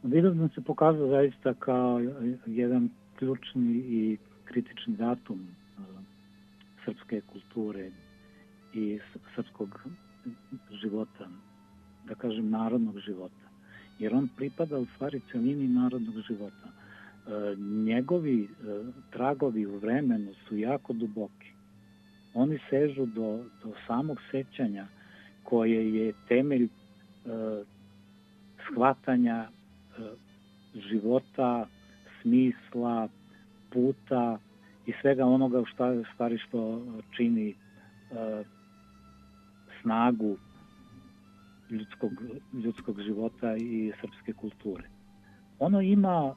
Vidovdan se pokazao zaista kao jedan ključni i kritični datum srpske kulture i srpskog života, da kažem narodnog života. Jer on pripada u stvari celini narodnog života. Njegovi tragovi u vremenu su jako duboki. Oni sežu do samog sećanja koje je temelj shvatanja života, smisla, puta i svega onoga što čini snagu ljudskog života i srpske kulture. Ono ima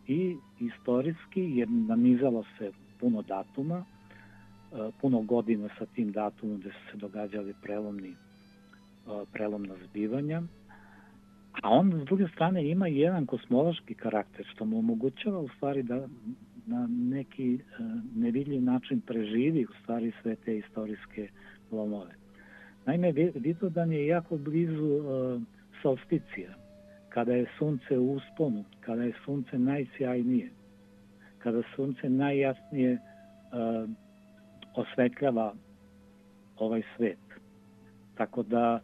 i istorijski, jer nanizalo se puno datuma, puno godina sa tim datumom gde su se događali prelomna zbivanja, a on s druge strane ima i jedan kosmološki karakter što mu omogućava u stvari da na neki nevidljiv način preživi u stvari sve te istorijske lomove. Naime, Vidovdan je jako blizu solsticija, kada je sunce u usponu, kada je sunce najsjajnije, kada sunce najjasnije osvetljava ovaj svet. Tako da,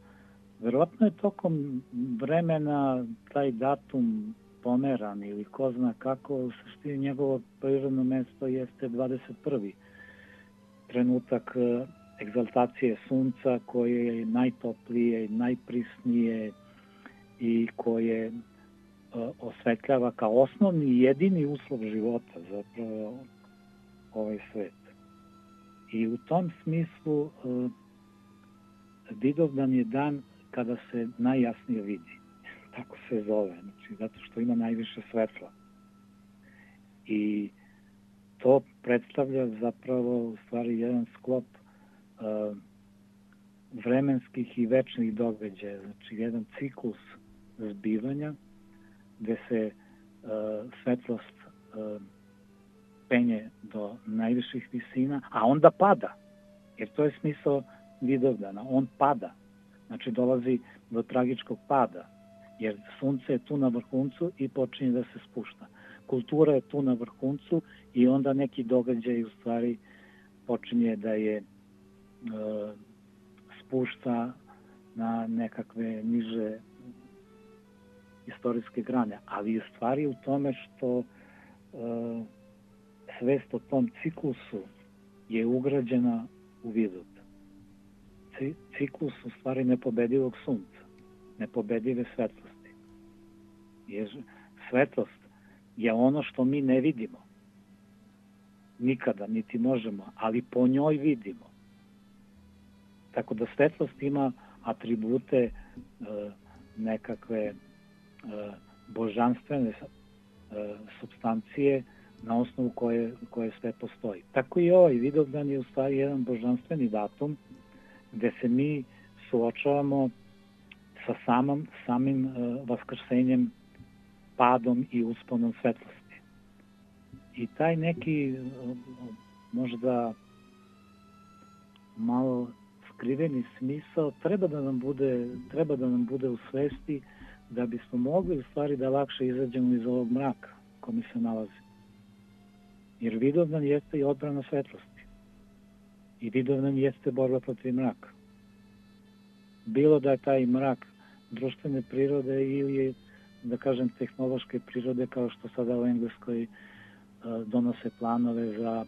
verovatno je tokom vremena taj datum pomeran ili ko zna kako, u suštini njegovo prirodno mesto jeste 21. trenutak egzaltacije sunca koje je najtoplije, najprisnije i koje osvetljava kao osnovni i jedini uslov života zapravo ovaj svet. I u tom smislu Vidovdan je dan kada se najjasnije vidi. Tako se zove, znači, zato što ima najviše svetla. I to predstavlja zapravo u stvari jedan sklop vremenskih i večnih događaja, znači jedan ciklus zbivanja gde se svetlost penje do najviših visina, a onda pada, jer to je smisao Vidovdana, on pada, znači dolazi do tragičkog pada, jer sunce je tu na vrhuncu i počinje da se spušta. Kultura je tu na vrhuncu i onda neki događaj u stvari počinje da je spušta na nekakve niže istorijske grane, ali je stvari u tome što svest o tom ciklusu je ugrađena u Vidovdan. Ciklus u stvari nepobedivog sunca, nepobedive svetlosti. Jer svetlost je ono što mi ne vidimo. Nikada, niti možemo, ali po njoj vidimo. Tako da svetlost ima atribute nekakve božanstvene supstancije na osnovu koje sve postoji. Tako i ovaj Vidovdan je u stvari jedan božanstveni datum gde se mi suočavamo sa samim vaskrsenjem, padom i usponom svetlosti. I taj neki možda malo skriveni smisao treba da nam bude u svesti da bismo mogli u stvari da lakše izađemo iz ovog mraka kome se nalazi. Jer Vidovdan jeste i odbrana svetlosti. I Vidovdan jeste borba protiv mraka. Bilo da je taj mrak društvene prirode ili, da kažem, tehnološke prirode, kao što sada u Engleskoj donose planove za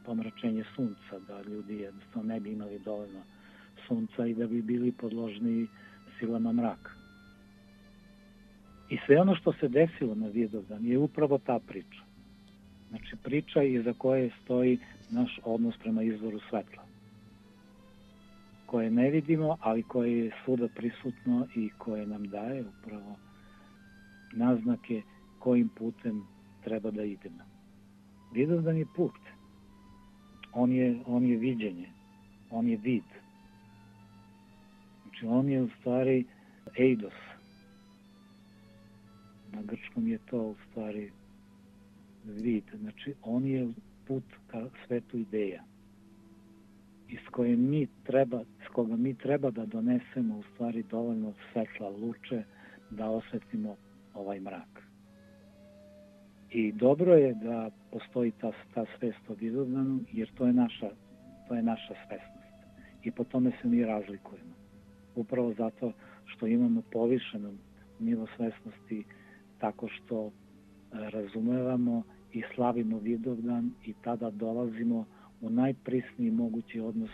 pomračenje sunca, da ljudi jednostavno ne bi imali dovoljno sunca i da bi bili podložni silama mraka. I sve ono što se desilo na Vidovdan je upravo ta priča. Znači priča iza koje stoji naš odnos prema izvoru svetla, koje ne vidimo, ali koje je svuda prisutno i koje nam daje upravo naznake kojim putem treba da idemo. Vidovdan je put. On je viđenje. On je vid. Znači on je u stvari eidos. Na grčkom je to u stvari vid. Znači on je put ka svetu ideja. S koga mi treba da donesemo u stvari dovoljno svetla luče da osvetimo ovaj mrak. I dobro je da postoji ta svest o Vidovdanu, jer to je naša svesnost. I po tome se mi razlikujemo. Upravo zato što imamo povišeno nivo svesnosti tako što razumevamo i slavimo Vidovdan i tada dolazimo u najprisniji mogući odnos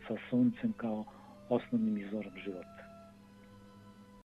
sa suncem kao osnovnim izvorom života.